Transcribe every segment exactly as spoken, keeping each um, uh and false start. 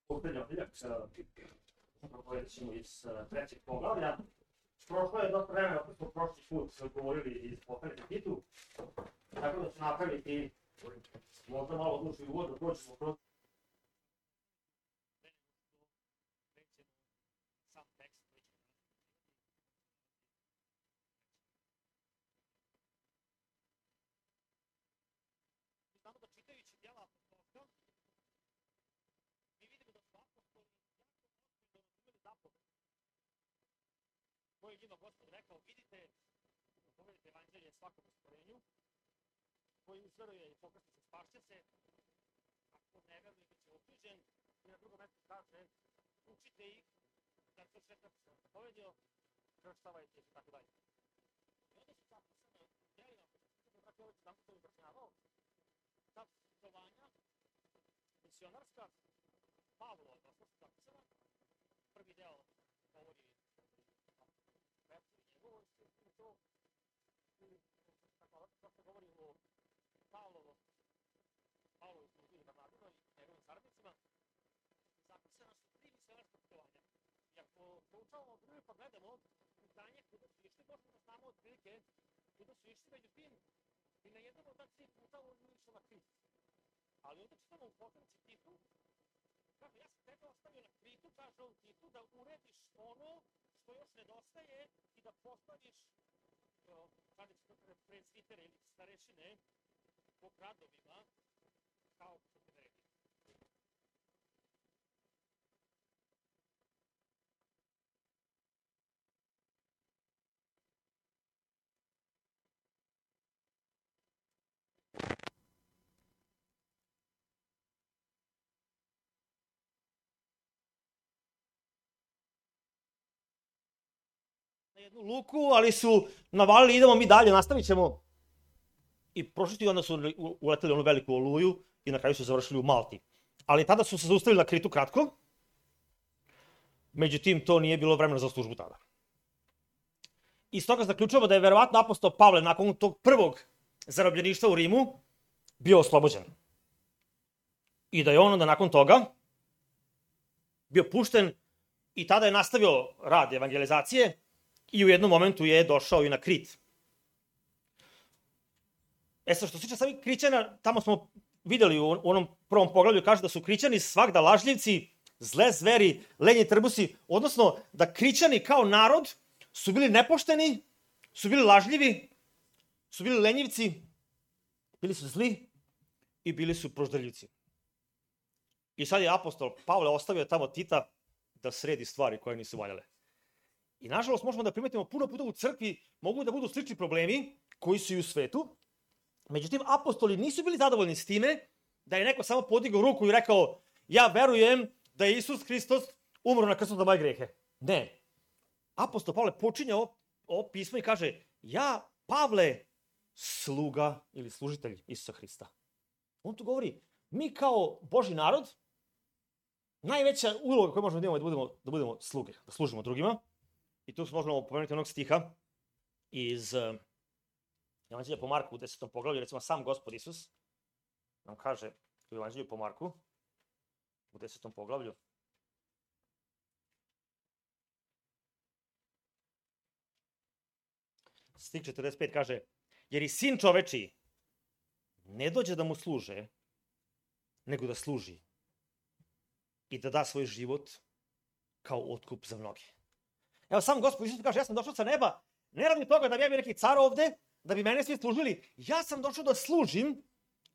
Posljednjak propovedat ćemo iz trećeg poglavlja. Prošlo je dosta vremena, ako smo prošli put govorili iz poslanika Titu, tako da ću napraviti možda malo duži uvod, da prođemo kroz sam tekst. Znamo da čitajući djela apostolska, mi vidimo da su apostoli jako razumeli zapoved koje je njima Gospod rekao, vidite, povedite evanđelje svakom stvorenju, koji uzveruje i pokrsti se, spašće se, ako ne veruje bit će osuđen, i na drugom mjestu kaže, učite ih, da to sve kako se zapovedio, krštavajte i tako dalje. I onda su zapisane u djelima, kako je sam to obračunavao, ta putovanja misionarska Pavlova, da su zapisana, prvi deo govori njegovo i to, ili kako se govori o Pavlovo, Pavlovi služi i Barnabinoj i njegovim saradnicima, zapisana su tri misionarska putovanja. I ako proučavamo drugi pa gledamo putanje kuda su išli, možemo da znamo otprilike kuda su išli, međutim, i na jednom od ta tri puta on nije išao na Krit. Ali onda čitamo u poslanici Titu, kaže, ja sam tebe ostavio na Kritu, kaže u Titu, da urediš ono što još nedostaje i da postaviš kada će to presvitere ili starešine po gradovima kao što te redi. Na jednu luku, ali su navalili, idemo mi dalje, nastavit ćemo. I prošli ti onda su uleteli onu veliku oluju i na kraju su završili u Malti. Ali tada su se zaustavili na Kritu kratko, međutim to nije bilo vremena za službu tada. Iz toga zaključujemo da je verovatno apostol Pavle nakon tog prvog zarobljeništva u Rimu bio oslobođen. I da je on onda nakon toga bio pušten i tada je nastavio rad evangelizacije i u jednom momentu je došao i na Krit. E sad, što se tiče samih Krićana, tamo smo videli u onom prvom poglavlju, kaže da su Krićani svagda lažljivci, zle zveri, lenji trbusi, odnosno da Krićani kao narod su bili nepošteni, su bili lažljivi, su bili lenjivci, bili su zli i bili su proždaljivci. I sad je apostol Pavle ostavio tamo Tita da sredi stvari koje nisu valjale. I nažalost možemo da primetimo puno puta u crkvi mogu da budu slični problemi koji su i u svetu. Međutim, apostoli nisu bili zadovoljni s time da je neko samo podigao ruku i rekao ja verujem da je Isus Hristos umro na krstu za moje grehe. Ne. Apostol Pavle počinje ovo, ovo pismo i kaže ja, Pavle, sluga ili služitelj Isusa Hrista. On tu govori, mi kao Božji narod, najveća uloga koju možemo da imamo je da budemo, da budemo sluge, da služimo drugima. I tu možemo pomenuti onog stiha iz Evanđelja po Marku u desetom poglavlju, recimo sam Gospod Isus nam kaže u Evanđelju po Marku u desetom poglavlju. Stih četrdeset pet kaže, jer i sin čovečiji ne dođe da mu služe, nego da služi i da da svoj život kao otkup za mnoge. Evo sam Gospod Isus kaže, ja sam došao sa neba, ne radi toga da bi ja bio neki car ovde, da bi mene svi služili, ja sam došao da služim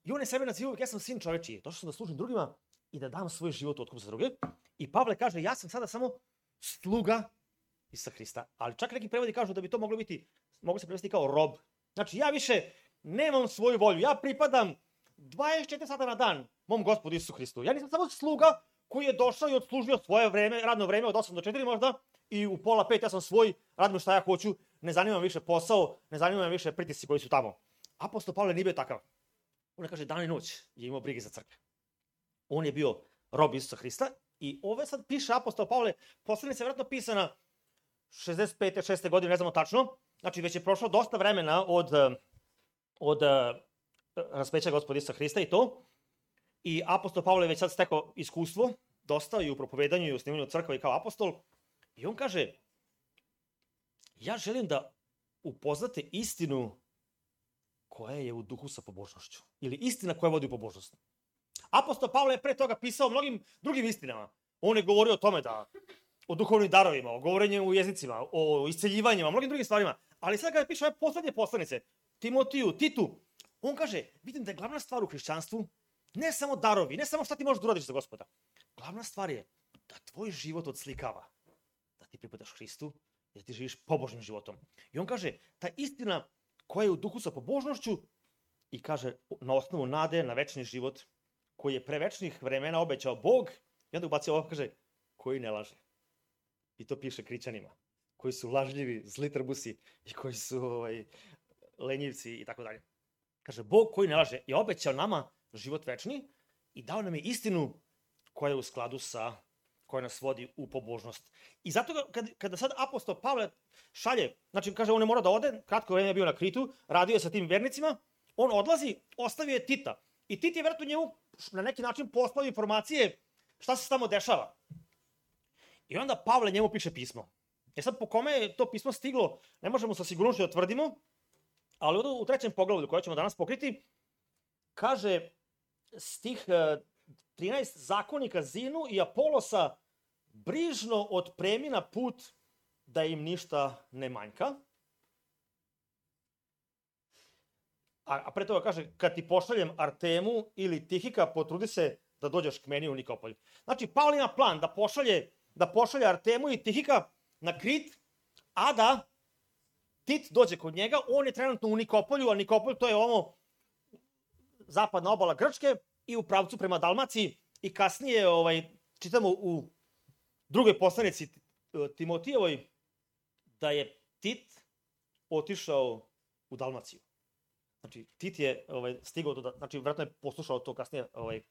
i on je sebe naziva uvijek, ja sam sin čovečiji, došao sam da služim drugima i da dam svoj život otkup za druge. I Pavle kaže, ja sam sada samo sluga Isusa Hrista, ali čak neki prevodi kažu da bi to moglo biti, mogu se prevesti kao rob. Znači ja više nemam svoju volju, ja pripadam dvadeset četiri sata na dan mom Gospodu Isusu Hristu. Ja nisam samo sluga koji je došao i odslužio svoje vreme, radno vreme od osam do četiri možda i u pola pet ja sam svoj, radim šta ja hoću, ne zanima me više posao, ne zanima me više pritisci koji su tamo. Apostol Pavle nije bio takav. On ne kaže dan i noć je imao brige za crkve. On je bio rob Isusa Hrista i ove sad piše apostol Pavle, poslanica je vjerojatno pisana šezdeset pete šeste godine, ne znamo tačno, znači već je prošlo dosta vremena od, od raspeća Gospoda Isusa Hrista i to. I apostol Pavle već sad stekao iskustvo dosta i u propovedanju i u snimanju crkva i kao apostol. I on kaže, ja želim da upoznate istinu koja je u duhu sa pobožnošću. Ili istina koja vodi u pobožnost. Apostol Pavle je pre toga pisao mnogim drugim istinama. On je govorio o tome da o duhovnim darovima, o govorenju u jezicima, o isceljivanjima, o mnogim drugim stvarima. Ali sad kada piše ove poslednje poslanice, Timotiju, Titu, on kaže, vidim da je glavna stvar u hrišćanstvu ne samo darovi, ne samo šta ti možeš da uradiš za Gospoda. Glavna stvar je da tvoj život odslikava, da ti pripadaš Hristu i da ti živiš pobožnim životom. I on kaže, ta istina koja je u duhu sa pobožnošću i kaže, na osnovu nade, na večni život, koji je pre večnih vremena obećao Bog, i onda ubacio ovo, kaže, koji ne laže. I to piše Krićanima, koji su lažljivi, zli trbusi i koji su ovaj, lenjivci i tako dalje. Kaže, Bog koji ne laže je obećao nama život večni i dao nam je istinu koja je u skladu sa, koja nas vodi u pobožnost. I zato kad, kada sad apostol Pavle šalje, znači kaže on ne mora da ode, kratko vreme je bio na Kritu, radio je sa tim vernicima, on odlazi, ostavio je Tita. I Tit je vjerojatno njemu na neki način poslao informacije šta se tamo dešava. I onda Pavle njemu piše pismo. E sad po kome je to pismo stiglo, ne možemo sa sigurnošću da tvrdimo, ali u trećem poglavlju koje ćemo danas pokriti, kaže stih trinaest, zakonika Zinu i Apolosa brižno otpremi na put da im ništa ne manjka. A, a pre toga kaže, kad ti pošaljem Artemu ili Tihika, potrudi se da dođeš k meni u Nikopolj. Znači, Pavle ima plan da pošalje, da pošalje Artemu i Tihika na Krit, a da Tit dođe kod njega, on je trenutno u Nikopolju, a Nikopolj to je ovo zapadna obala Grčke i u pravcu prema Dalmaciji i kasnije ovaj, čitamo u drugoj poslanici Timotijevoj da je Tit otišao u Dalmaciju. Znači, Tit je ovaj, stigao, do, znači, vjerojatno je poslušao to kasnije, ovaj,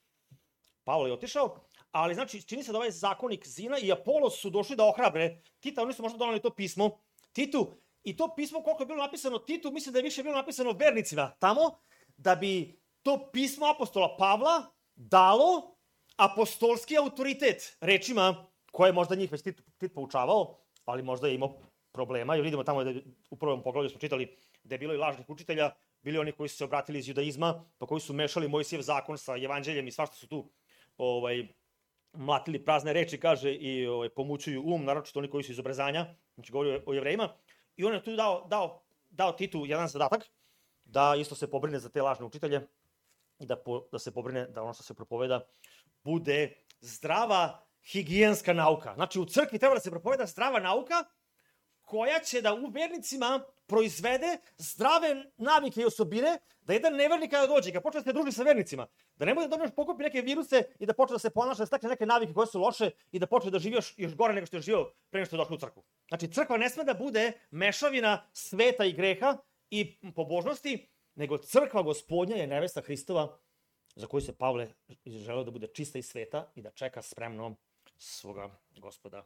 Pavle je otišao, ali znači, čini se da ovaj zakonik Zina i Apolos su došli da ohrabre Tita, oni su možda donali to pismo Titu, i to pismo koliko je bilo napisano Titu, mislim da je više bilo napisano vernicima tamo, da bi to pismo apostola Pavla dalo apostolski autoritet rečima koje je možda njih već Tit, Tit poučavao, ali možda je imao problema, jer vidimo tamo da je, u prvom poglavlju smo čitali da je bilo i lažnih učitelja, bili oni koji su se obratili iz judaizma, pa koji su mešali Mojsijev zakon sa evanđeljem i svašta su tu ovaj, mlatili prazne reči, kaže, i ovaj, pomućuju um, naročito oni koji su iz obrezanja, znači govori o, o jevrejima. I on je tu dao, dao, dao Titu jedan zadatak, da isto se pobrine za te lažne učitelje i da, po, da se pobrine da ono što se propoveda bude zdrava higijenska nauka. Znači u crkvi treba da se propoveda zdrava nauka koja će da u vernicima proizvede zdrave navike i osobine, da jedan nevernik kada dođe, kada počne da se druži sa vernicima, da ne bude da još pokupi neke viruse i da počne da se ponaša, da stekne neke navike koje su loše i da počne da živi još, još gore nego što je živio pre nego što je došao u crkvu. Znači, crkva ne sme da bude mešavina sveta i greha i pobožnosti, nego crkva Gospodnja je nevesta Hristova, za koju se Pavle želeo da bude čista i sveta i da čeka spremno svoga Gospoda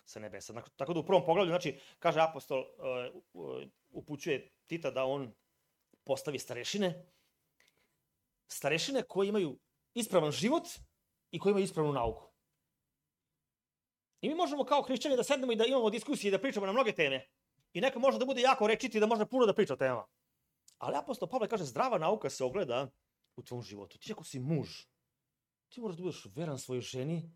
sa nebesa. Tako da u prvom poglavlju, znači, kaže apostol, uh, upućuje Tita da on postavi starešine, starešine koji imaju ispravan život i koji imaju ispravnu nauku. I mi možemo kao hrišćani da sednemo i da imamo diskusije i da pričamo na mnoge teme. I neka može da bude jako rečiti i da može puno da priča o temama. Ali apostol Pavle kaže, zdrava nauka se ogleda u tvom životu. Ti ako si muž, ti moraš da budeš veran svojoj ženi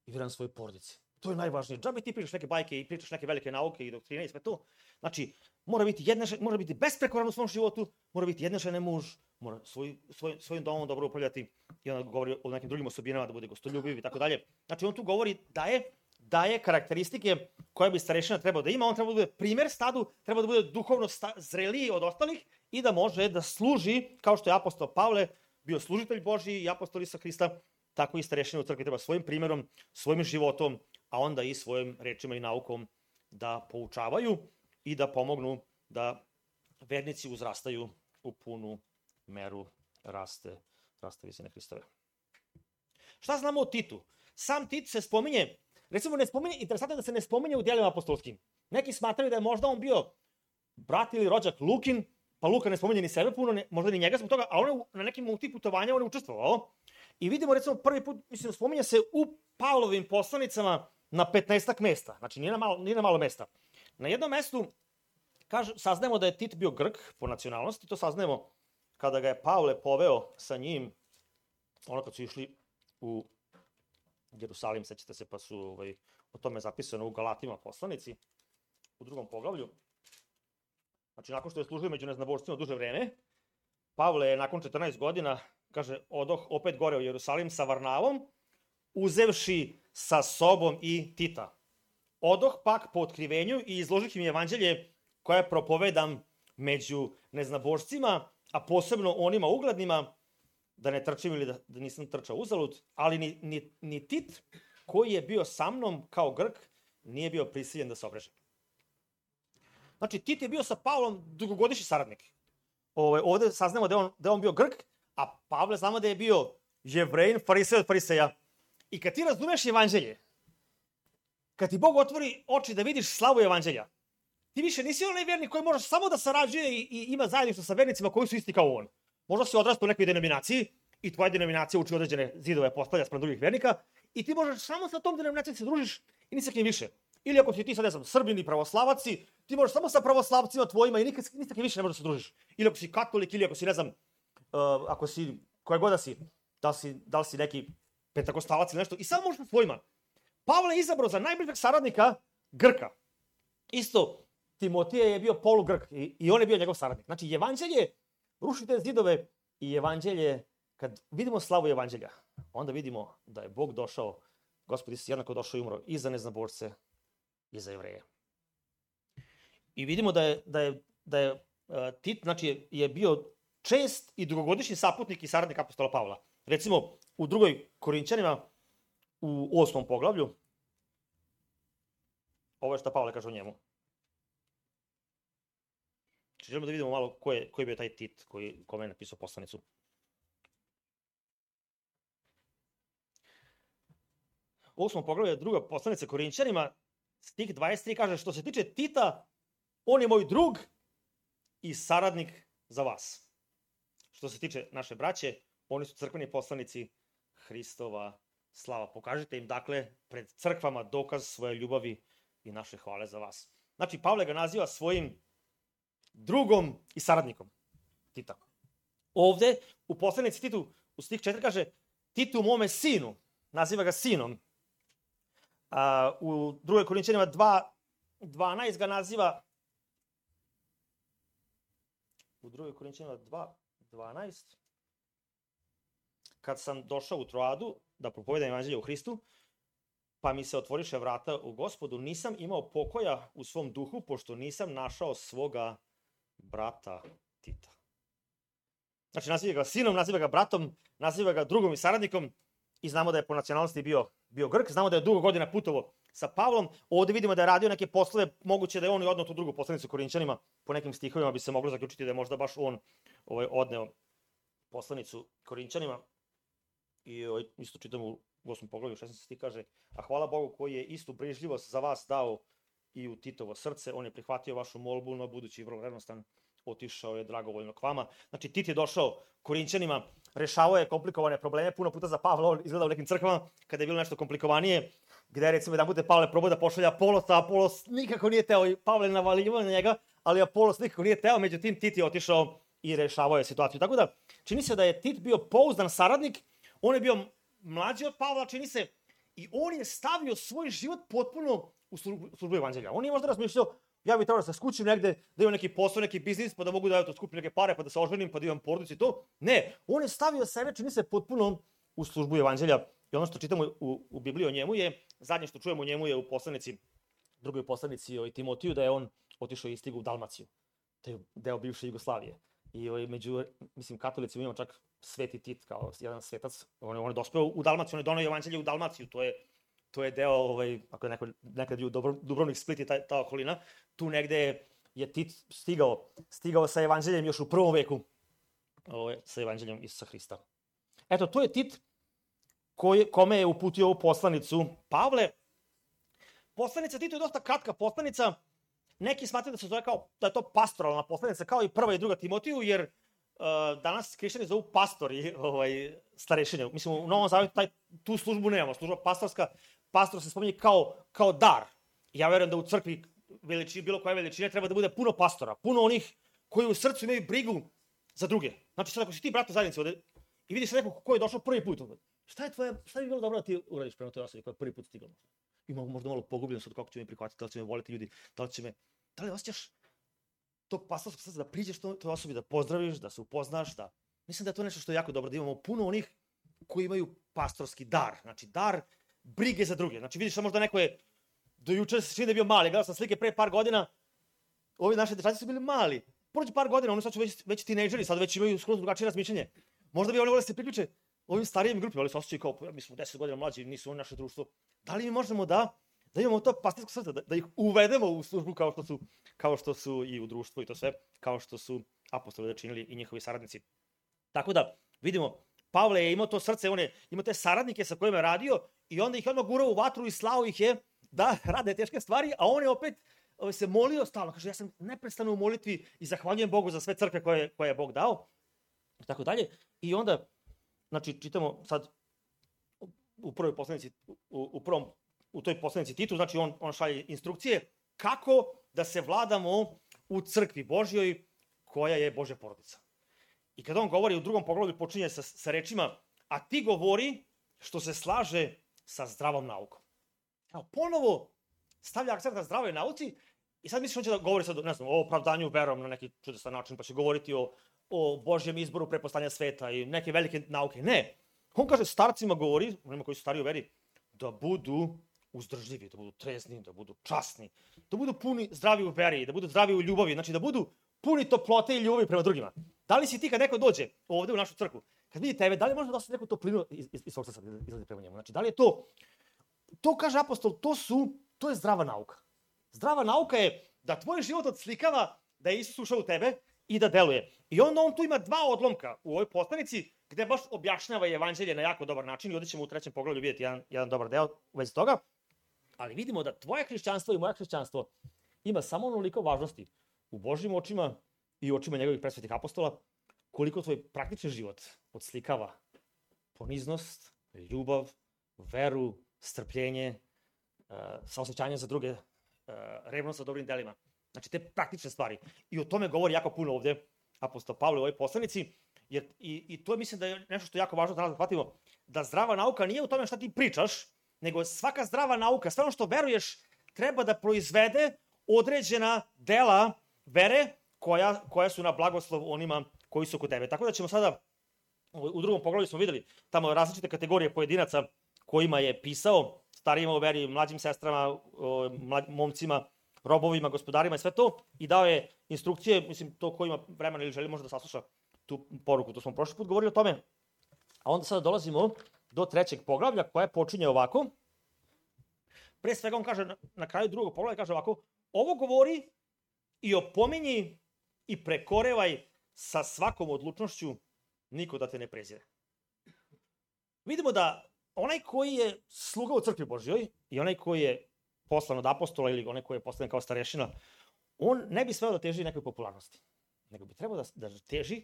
i veran svojoj porodici. To je najvažnije. Džabe ti pričaš neke bajke i pričaš neke velike nauke i doktrine i sve to. Znači, mora biti, jedne, mora biti besprekoran u svom životu, mora biti jednešene muž, mora svoj, svoj, svojim domom dobro upravljati i onda govori o nekim drugim osobinama da bude gostoljubiv i tako dalje. Znači, on tu govori da je, da je karakteristike koje bi starešina trebao da ima. On treba da bude primer stadu, treba da bude duhovno sta, zreliji od ostalih i da može da služi, kao što je apostol Pavle bio služitelj Božji i apostol Isusa Hrista, tako i starešina u crkvi treba svojim primjerom, svojim životom, a onda i svojim rečima i naukom da poučavaju i da pomognu da vernici uzrastaju u punu meru raste, raste visine Hristove. Šta znamo o Titu? Sam Tit se spominje, recimo ne spominje, interesantno je da se ne spominje u djelima apostolskim. Neki smatraju da je možda on bio brat ili rođak Lukin, pa Luka ne spominje ni sebe puno, ne, možda ni njega zbog toga, a on je na nekim multi putovanja on je učestvovao. I vidimo, recimo, prvi put, mislim, spominje se u Pavlovim poslanicama na petnaestak mesta. Znači, nije na malo, nije na malo mesta. Na jednom mestu kaže, saznajemo da je Tit bio Grk po nacionalnosti, to saznajemo kada ga je Pavle poveo sa njim, ono kad su išli u Jerusalim, sećate se, pa su ovaj, o tome zapisano u Galatima poslanici, u drugom poglavlju. Znači, nakon što je služio među neznabošcima duže vreme, Pavle je nakon četrnaest godina, kaže, odoh opet gore u Jerusalim sa Varnavom, uzevši sa sobom i Tita. Odoh pak po otkrivenju i izložih im evanđelje koje propovedam među neznabošcima, a posebno onima uglednima, da ne trčim ili da, da nisam trčao uzalud, ali ni, ni, ni Tit, koji je bio sa mnom kao Grk, nije bio prisiljen da se obreže. Znači, Tit je bio sa Pavlom dugogodišnji saradnik. Ove, ovde saznamo da je, on, da je on bio Grk, a Pavle znamo da je bio Jevrejin, farisej od fariseja. I kad ti razumeš evanđelje, kad ti Bog otvori oči da vidiš slavu evanđelja, ti više nisi onaj vernik koji može samo da sarađuje i, i ima zajedništvo sa vernicima koji su isti kao on. Možda si odrastao u nekoj denominaciji i tvoja denominacija uči određene zidove postavlja sprem drugih vernika i ti možeš samo sa tom denominacijom se družiš i ni sa kim više. Ili ako si ti sad, ne znam, Srbin i pravoslavaci, ti možeš samo sa pravoslavcima tvojima i nikad, ni sa kim više ne možeš da se družiš. Ili ako si katolik, ili ako si, ne znam, uh, ako si, koje god da si, da li si, da li si neki pentakostalac ili nešto, i samo možeš sa svojima. Pavle je izabrao za najbližeg saradnika Grka. Isto, Timotije je bio polugrk i, i on je bio njegov saradnik. Znači, evanđelje ruši te zidove i evanđelje, kad vidimo slavu evanđelja, onda vidimo da je Bog došao, Gospod Isus jednako došao i umro i za neznabošce i za Jevreje. I vidimo da je, da je, da je uh, Tit, znači, je, je bio čest i dugogodišnji saputnik i saradnik apostola Pavla. Recimo, u drugoj Korinćanima, u osmom poglavlju, ovo je što Pavle kaže o njemu. Znači, želimo da vidimo malo ko je, ko je bio taj Tit koji, kome je napisao poslanicu. U osmom poglavlju je druga poslanica Korinćanima, stih dvadeset tri kaže, što se tiče Tita, on je moj drug i saradnik za vas. Što se tiče naše braće, oni su crkveni poslanici Hristova slava. Pokažite im, dakle, pred crkvama dokaz svoje ljubavi i naše hvale za vas. Znači, Pavle ga naziva svojim drugom i saradnikom Tita. Ovde, u poslanici Titu, u stih četiri kaže, Titu mome sinu, naziva ga sinom. A, u drugoj Korinćanima dva dvanaest ga naziva, u drugoj Korinćanima dva dvanaest, kad sam došao u Troadu da propovedam evanđelje u Hristu, pa mi se otvoriše vrata u Gospodu, nisam imao pokoja u svom duhu, pošto nisam našao svoga brata Tita. Znači, naziva ga sinom, naziva ga bratom, naziva ga drugom i saradnikom i znamo da je po nacionalnosti bio, bio Grk, znamo da je dugo godina putovao sa Pavlom. Ovde vidimo da je radio neke poslove, moguće da je on i odneo tu drugu poslanicu Korinćanima, po nekim stihovima bi se moglo zaključiti da je možda baš on ovaj, odneo poslanicu Korinćanima. I ovaj, isto čitam u osmom poglavlju šesnaesti stih kaže, a hvala Bogu koji je istu brižljivost za vas dao i u Titovo srce, on je prihvatio vašu molbu, no budući vrlo revnostan, otišao je dragovoljno k vama. Znači, Tit je došao Korinćanima, rešavao je komplikovane probleme, puno puta za Pavla, on izgleda u nekim crkvama, kada je bilo nešto komplikovanije, gde je recimo jedan put je Pavle probao da pošalja Apolosa, Apolos nikako nije teo, i Pavle navalivao na njega, ali Apolos nikako nije teo, međutim Tit je otišao i rešavao je situaciju. Tako da, čini se da je Tit bio pouzdan saradnik, on je bio mlađi od Pavla, čini se, i on je stavio svoj život potpuno u službu evanđelja. On je možda razmišljao, ja bih trebao da se skućim negde, da imam neki posao, neki biznis, pa da mogu da to skupim neke pare, pa da se oženim, pa da imam porodicu i to. Ne, on je stavio sebe, čini se, potpuno u službu evanđelja. I ono što čitamo u, u Bibliji o njemu je, zadnje što čujemo o njemu je u poslanici, drugoj poslanici o Timotiju, da je on otišao i stigao u Dalmaciju. To je deo bivše Jugoslavije. I ovaj, među, mislim, katolicima imamo čak Sveti Tit kao jedan svetac. On je, on je dospeo u Dalmaciju, on je donao evanđelje u Dalmaciju. To je, to je deo, ovaj, ako je neko, nekad bio Dubrovnik, Split i ta, ta okolina, tu negde je Tit stigao, stigao sa evanđeljem još u prvom veku, ovaj, sa evanđeljem Isusa Hrista. Eto, to je Tit koji, kome je uputio ovu poslanicu Pavle. Poslanica Titu je dosta kratka poslanica, neki smatraju da se zove kao, da je to pastoralna poslanica, kao i prva i druga Timotiju, jer uh, danas hrišćani zovu pastori ovaj, starešine. Mislim, u Novom Zavetu taj, tu službu nemamo, služba pastorska, pastor se spominje kao, kao dar. Ja verujem da u crkvi veličine, bilo koje veličine treba da bude puno pastora, puno onih koji u srcu imaju brigu za druge. Znači, sad ako si ti brat u zajednici ovde i vidiš nekog ko je došao prvi put, šta je tvoje, šta bi bilo dobro da ti uradiš prema toj osobi koja je prvi put stigla? Ima možda malo pogubljen sad kako će me prihvatiti, da li će me voliti ljudi, da li će me, da li osjećaš tog pastorskog srca da priđeš toj osobi, da pozdraviš, da se upoznaš, da... Mislim da je to nešto što je jako dobro, da imamo puno onih koji imaju pastorski dar, znači dar brige za druge. Znači vidiš da možda neko je, do juče se čini da je bio mali, gledao sam slike pre par godina, ovi naši dečaci su bili mali, prođe par godina, oni sad su već, već tinejdžeri, sad već imaju skroz drugačije razmišljanje. Možda bi oni voleli da se priključe ovim starijim grupima, ali se osjećaju kao, mi smo deset godina mlađi, nisu oni naše društvo. Da li mi možemo da, da imamo to pastorsko srce, da, da ih uvedemo u službu kao što su, kao što su i u društvu i to sve, kao što su apostoli da činili i njihovi saradnici. Tako da, vidimo, Pavle je imao to srce, on je imao te saradnike sa kojima je radio i onda ih je odmah gurao u vatru i slao ih je da rade teške stvari, a on je opet se molio stalno. Kaže, ja sam neprestano u molitvi i zahvaljujem Bogu za sve crkve koje, koje je Bog dao. I tako dalje. I onda, znači, čitamo sad u prvoj poslanici, u, u prvom, u toj poslanici Titu, znači on, on šalje instrukcije kako da se vladamo u crkvi Božjoj koja je Božja porodica. I kada on govori u drugom poglavlju počinje sa, sa rečima, a ti govori što se slaže sa zdravom naukom. Evo, ponovo stavlja akcent na zdravoj nauci i sad misliš on će da govori sad, ne znam, o opravdanju verom na neki čudesan način, pa će govoriti o, o Božjem izboru pre postanja sveta i neke velike nauke. Ne. On kaže starcima govori, onima koji su stariji u veri, da budu uzdržljivi, da budu trezni, da budu časni, da budu puni zdravi u veri, da budu zdravi u ljubavi, znači da budu puni toplote i ljubavi prema drugima. Da li si ti kad neko dođe ovde u našu crkvu, kad vidi tebe, da li može da osjeti neku toplinu iz, iz, iz svog srca izlazi prema njemu? Znači, da li je to, to kaže apostol, to su, to je zdrava nauka. Zdrava nauka je da tvoj život odslikava da je Isus ušao u tebe i da deluje. I onda on tu ima dva odlomka u ovoj poslanici gde baš objašnjava evanđelje na jako dobar način i ovdje ćemo u trećem poglavlju vidjeti jedan, jedan dobar deo u vezi toga. Ali vidimo da tvoje hrišćanstvo i moje hrišćanstvo ima samo onoliko važnosti u Božjim očima i u očima njegovih presvetih apostola, koliko tvoj praktični život odslikava poniznost, ljubav, veru, strpljenje, uh, saosećanje za druge, uh, revnost za dobrim delima. Znači te praktične stvari. I o tome govori jako puno ovdje apostol Pavle u ovoj poslanici, jer i, i to mislim da je nešto što je jako važno da nas shvatimo, da zdrava nauka nije u tome šta ti pričaš, nego svaka zdrava nauka, sve ono što veruješ, treba da proizvede određena dela vere koja, koja su na blagoslov onima koji su kod tebe. Tako da ćemo sada, u drugom poglavlju smo videli tamo različite kategorije pojedinaca kojima je pisao, starijima u veri, mlađim sestrama, mlad, momcima, robovima, gospodarima i sve to, i dao je instrukcije, mislim, to ko ima vremena ili želi može da sasluša tu poruku, to smo prošli put govorili o tome. A onda sada dolazimo do trećeg poglavlja koje počinje ovako. Pre svega on kaže, na, na kraju drugog poglavlja kaže ovako, ovo govori i opominji i prekorevaj sa svakom odlučnošću, niko da te ne prezire. Vidimo da onaj koji je sluga u crkvi Božjoj i onaj koji je poslan od apostola ili onaj koji je poslan kao starešina, on ne bi smeo da teži nekoj popularnosti, nego bi trebao da, da teži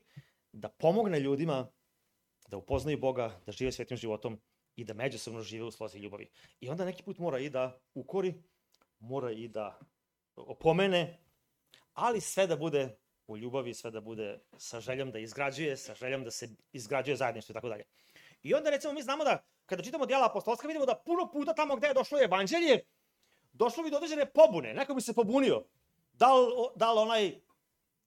da pomogne ljudima da upoznaju Boga, da žive svetim životom i da međusobno žive u slozi ljubavi. I onda neki put mora i da ukori, mora i da opomene, ali sve da bude u ljubavi, sve da bude sa željom da izgrađuje, sa željom da se izgrađuje zajedništvo i tako dalje. I onda recimo mi znamo da kada čitamo djela apostolska vidimo da puno puta tamo gde je došlo evanđelje, došlo bi do određene pobune, neko bi se pobunio. Da li, da li onaj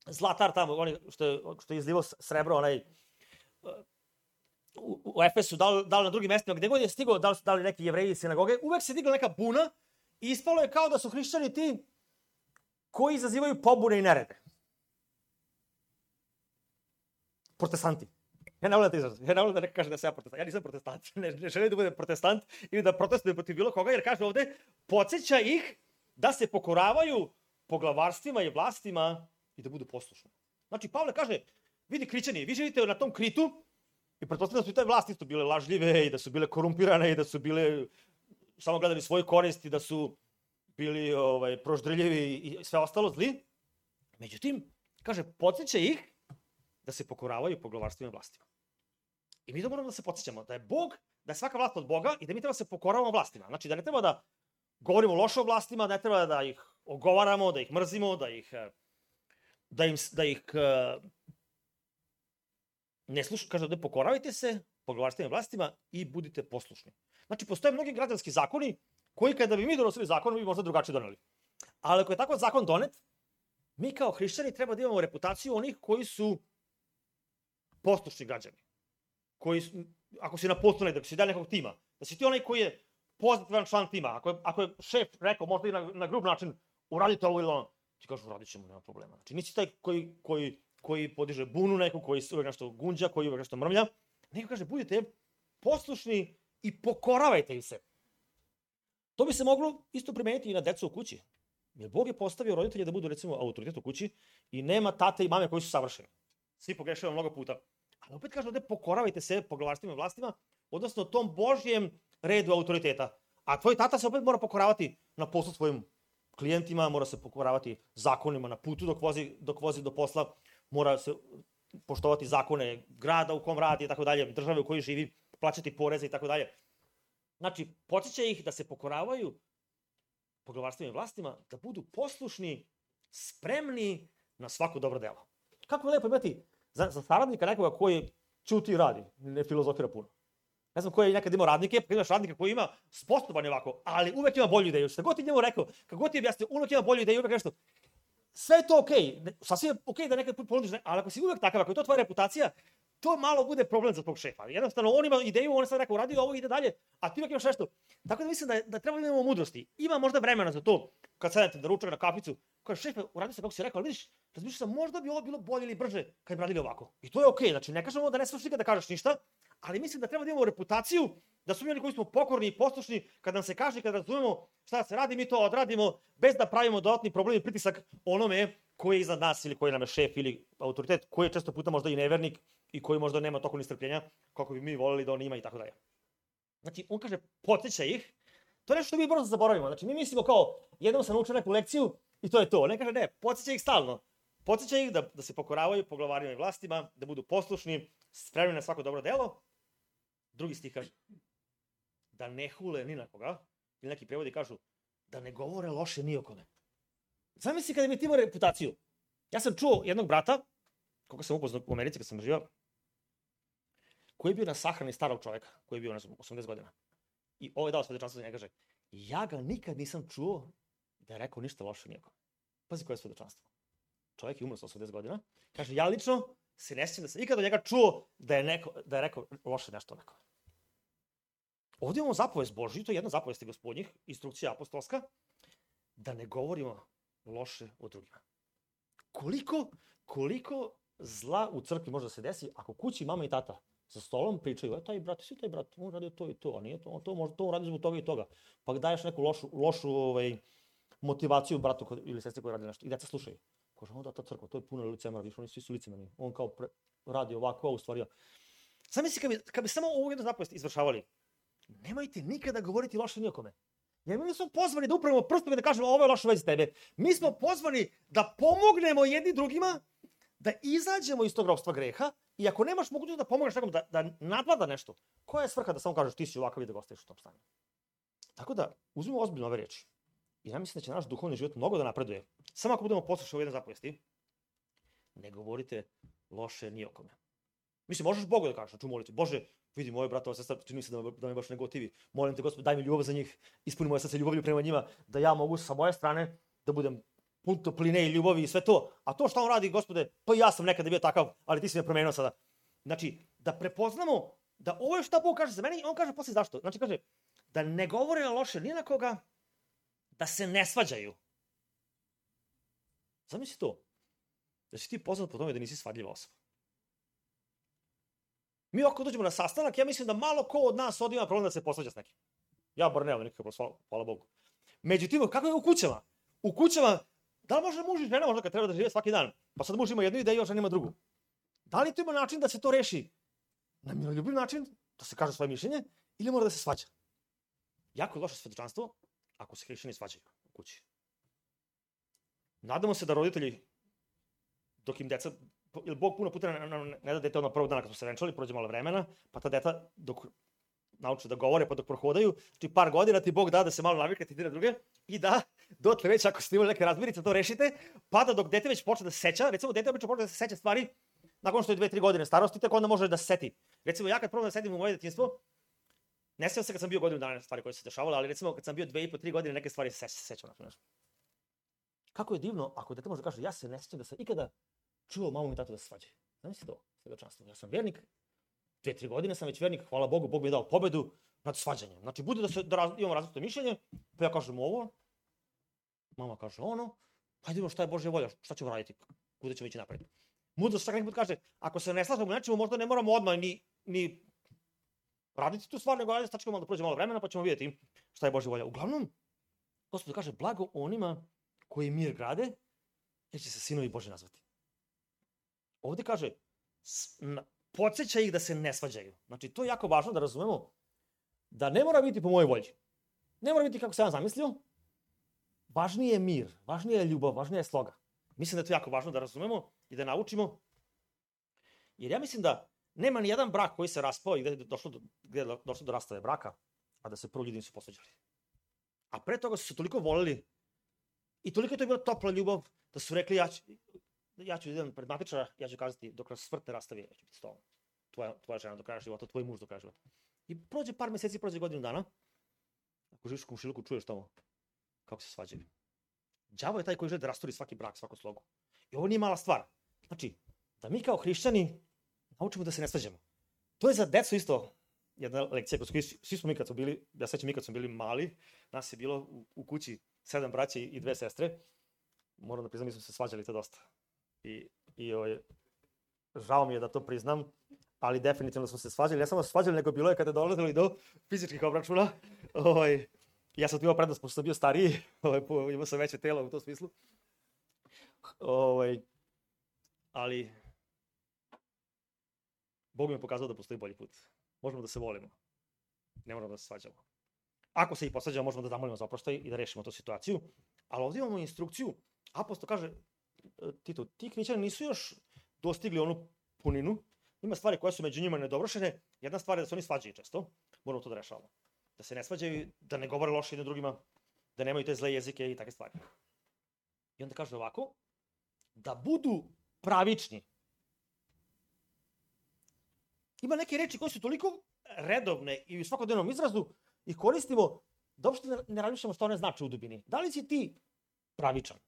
zlatar tamo, onaj što je, što je izlivao srebro, onaj u, u Efesu, da li, da li na drugim mestima, gde god je stigao, da li, da li neki jevreji iz sinagoge, uvek se digla neka buna i ispalo je kao da su hrišćani ti koji izazivaju pobune i nerede. Protestanti. Ja ne volim da te izrazim. Ja ne volim da neka kaže da sam ja protestant. Ja nisam protestant. Ne, ne želim da budem protestant ili da protestujem protiv bilo koga, jer kaže ovde, podsjeća ih da se pokoravaju poglavarstvima i vlastima i da budu poslušni. Znači, Pavle kaže, vidi Krićani, vi živite na tom Kritu i pretpostavljam da su i taj vlasti isto bile lažljive i da su bile korumpirane i da su bile samo gledali svoju korist i da su bili ovaj, proždrljivi i sve ostalo zli. Međutim, kaže, podsjeća ih da se pokoravaju poglavarstvima i vlastima. I mi to moramo da se podsjećamo, da je Bog, da je svaka vlast od Boga i da mi treba da se pokoravamo vlastima. Znači, da ne treba da govorimo loše o vlastima, da ne treba da ih ogovaramo, da ih mrzimo, da ih, da im, da ih ne slušamo. Kaže, da pokoravajte se poglavarstvima i vlastima i budite poslušni. Znači, postoje mnogi građanski zakoni koji kada bi mi donosili zakon, bi možda drugačije doneli. Ali ako je tako zakon donet, mi kao hrišćani treba da imamo reputaciju onih koji su poslušni građani. Koji su, ako si na poslu negde, ako si deo nekog tima, da si ti onaj koji je pozitivan član tima. Ako je, ako je šef rekao, možda i na, na grub način, uradite ovo ili ono, ti kažeš, uradit ćemo, nema problema. Znači, nisi taj koji, koji, koji podiže bunu neku, koji uvek nešto gunđa, koji uvek nešto mrmlja. Neko kaže, budite poslušni i pokoravajte im se. To bi se moglo isto primeniti i na decu u kući. Jer Bog je postavio roditelje da budu, recimo, autoritet u kući i nema tate i mame koji su savršeni. Svi pogrešaju mnogo puta. Ali opet kaže ovde, pokoravajte se poglavarstvima i vlastima, odnosno tom Božjem redu autoriteta. A tvoj tata se opet mora pokoravati na poslu svojim klijentima, mora se pokoravati zakonima na putu dok vozi, dok vozi do posla, mora se poštovati zakone grada u kom radi i tako dalje, države u kojoj živi, plaćati poreze i tako dalje. Znači, podsjeća ih da se pokoravaju poglavarstvima i vlastima, da budu poslušni, spremni na svako dobro delo. Kako je lepo imati za, za saradnika nekoga koji ćuti i radi, ne filozofira puno. Ne znam koji je nekad imao radnike, pa imaš radnika koji ima sposoban je ovako, ali uvek ima bolju ideju. Šta god ti njemu rekao, kako god ti objasnio, uvek ima bolju ideju, uvek nešto. Sve je to okej, okay. Sasvim je okej okay da nekad ponudiš, ali ako si uvek takav, ako je to tvoja reputacija, to malo bude problem za tvog šefa. Jednostavno, on ima ideju, on je sad rekao, uradio ovo, ide dalje, a ti uvek imaš nešto. Tako da mislim da, da treba da imamo mudrosti. Ima možda vremena za to, kad sedete da ručak na kaficu, kaže, šefe, uradio se kako si rekao, ali vidiš, razmišljam sam, možda bi ovo bilo bolje ili brže kad bi radili ovako. I to je okej, okay. Znači ne kažemo da ne smiješ nikada da kažeš ništa, ali mislim da treba da imamo reputaciju, da su mi oni koji smo pokorni i poslušni, kad nam se kaže, kad razumemo šta se radi, mi to odradimo, bez da pravimo dodatni problem i pritisak onome koji je iznad nas ili koji nam je šef ili autoritet, koji je često puta možda i nevernik i koji možda nema toliko ni strpljenja kako bi mi voleli da on ima i tako dalje. Znači, on kaže, podsjeća ih, to je nešto što mi brzo zaboravimo. Znači, mi mislimo kao, jednom sam naučio neku lekciju i to je to. Ne kaže, ne, podsjeća ih stalno. Podsjeća ih da, da se pokoravaju poglavarima i vlastima, da budu poslušni, spremni na svako dobro delo. Drugi stih kaže, da ne hule ni na koga, ili neki prevodi kažu, da ne govore loše ni o kome. Zamisli kada bi ti imao reputaciju. Ja sam čuo jednog brata, koga sam upoznao u Americi kad sam živao, koji je bio na sahrani starog čoveka, koji je bio, ne znam, osamdeset godina. I ovo je dao svedočanstvo za njega, kaže, ja ga nikad nisam čuo da je rekao ništa loše ni o kome. Pazi koje je svedočanstvo. Čovjek je umro sa osamdeset godina, kaže, ja lično se ne sjećam da sam ikada od njega čuo da je, neko, da je rekao loše nešto o nekome. Ovdje imamo zapovest Božju, to je jedna zapovest gospodnjih, instrukcija apostolska, da ne govorimo loše o drugima. Koliko, koliko zla u crkvi može da se desi ako kući mama i tata za stolom pričaju, e, taj brat, svi taj brat, on radio to i to, a nije to, on to možda to radi zbog toga i toga. Pa daješ neku lošu, lošu ovaj, motivaciju bratu ili sestri koji radi nešto i deca slušaju. Kaže, onda ta crkva, to je puno licemera, viš, oni svi su licemeni. On kao pre, radi ovako, u stvari. Zamisli kad bi, kad bi samo ovu jednu zapovest izvršavali, nemojte nikada govoriti loše ni o kome. Jer mi nismo pozvani da upravimo prstom i da kažemo ovo je loše u vezi tebe. Mi smo pozvani da pomognemo jedni drugima, da izađemo iz tog ropstva greha i ako nemaš mogućnost da pomogneš nekom da, da nadvlada nešto, koja je svrha da samo kažeš ti si ovakav i da ga ostaviš u tom stanju? Tako da, uzmimo ozbiljno ove riječi. I ja mislim da će naš duhovni život mnogo da napreduje. Samo ako budemo poslušali u jedne zapovesti, ne govorite loše ni o kome. Mislim, možeš Bogu da kažeš, znači u molitvi, Bože, vidi moje brata, ova sestra, čini mi se da me, da me baš ne gotivi. Molim te, Gospod, daj mi ljubav za njih, ispuni moje srce ljubavlju prema njima, da ja mogu sa moje strane da budem pun topline i ljubavi i sve to. A to što on radi, Gospode, pa ja sam nekada bio takav, ali ti si me promenio sada. Znači, da prepoznamo da ovo je šta Bog kaže za mene, on kaže posle zašto. Znači, kaže, da ne govore loše ni na koga, da se ne svađaju. Zamisli to. Da si ti poznat po tome da nisi svadljiva osoba. Mi ako dođemo na sastanak, ja mislim da malo ko od nas ovdje ima problem da se posvađa s nekim. Ja bar nemam nikakav problem, hvala Bogu. Međutim, kako je u kućama? U kućama, da li može muž i žena možda kad treba da žive svaki dan? Pa sad muž ima jednu ideju, a žena ima drugu. Da li to ima način da se to reši? Na miroljubiv način, da se kaže svoje mišljenje, ili mora da se svađa? Jako je loše svedočanstvo ako se hrišćani svađaju. kući. Nadamo se da roditelji, dok im deca, jer Bog puno puta ne, ne, ne da dete odmah prvog dana kad smo se venčali, prođe malo vremena, pa ta deta dok nauče da govore, pa dok prohodaju, znači par godina ti Bog da da se malo navikate jedne na druge i da dotle već ako ste imali neke razmirice to rešite, pa da dok dete već počne da se seća, recimo dete obično počne da se seća stvari nakon što je dve tri godine starosti, tako onda može da se seti. Recimo ja kad probam da setim u moje detinjstvo, ne sjećam se kad sam bio godinu dana stvari koje su se dešavale, ali recimo kad sam bio dve i po, tri godine neke stvari se sećam. Kako je divno ako dete može da kaže ja se ne sjećam da sam ikada čuo mamu i tatu da se svađaju. Znači to, svedočanstvo. Ja sam vernik, dve, tri godine sam već vernik, hvala Bogu, Bog mi je dao pobedu nad svađanjem. Znači bude da, se, da raz, imamo različito mišljenje, pa ja kažem ovo, mama kaže ono, pa idemo šta je Božja volja, šta ćemo raditi, kuda ćemo ići napred. Mudrost čak neki put kaže, ako se ne slažemo nečemu, možda ne moramo odmah ni, ni raditi tu stvar, nego ajde stačkamo da prođe malo vremena, pa ćemo vidjeti šta je Božja volja. Uglavnom, Gospod kaže, blago onima koji mir grade, jer će se sinovi Božji nazvati. Ovdje kaže, podsjeća ih da se ne svađaju. Znači, to je jako važno da razumemo da ne mora biti po mojoj volji. Ne mora biti kako sam ja zamislio. Važnije je mir, važnije je ljubav, važnije je sloga. Mislim da je to jako važno da razumemo i da naučimo. Jer ja mislim da nema ni jedan brak koji se raspao i gde je došlo do, gde je došlo do rastave braka, a da se prvo ljudi nisu posvađali. A pre toga su se toliko voleli i toliko je to bila topla ljubav da su rekli ja ću, ja ću idem pred matičara, ja ću kazati dok nas smrt ne rastavi, ja ću biti s tobom. Tvoja, tvoja žena do kraja života, tvoj muž do kraja života. I prođe par meseci, prođe godinu dana. Ako živiš u komšiluku, čuješ tamo kako se svađaju. Đavo je taj koji želi da rasturi svaki brak, svaku slogu. I ovo nije mala stvar. Znači, da mi kao hrišćani naučimo da se ne svađamo. To je za decu isto jedna lekcija. Svi smo mi kad smo bili, ja sećam mi kad smo bili mali, nas je bilo u, u kući sedam braća i dve sestre. Moram da priznam, mi smo se svađali to dosta. I, i ovaj, žao mi je da to priznam, ali definitivno smo se svađali. Ne samo svađali, nego bilo je kada je dolazilo i do fizičkih obračuna. Ovaj, ja sam tu imao prednost, pošto sam bio stariji, ovaj, imao sam veće telo u tom smislu. Ovaj, ali Bog mi je pokazao da postoji bolji put. Možemo da se volimo. Ne moramo da se svađamo. Ako se i posvađamo, možemo da zamolimo za oproštaj i da rešimo tu situaciju. Ali ovdje imamo instrukciju. Apostol kaže, Tito, ti hrišćani nisu još dostigli onu puninu. Ima stvari koje su među njima nedovršene. Jedna stvar je da se oni svađaju često. Moramo to da rešavamo. Da se ne svađaju, da ne govore loše jednim drugima, da nemaju te zle jezike i takve stvari. I onda kaže ovako, da budu pravični. Ima neke reči koje su toliko redovne i u svakodnevnom izrazu ih koristimo da uopšte ne razmišljamo što one znače u dubini. Da li si ti pravičan?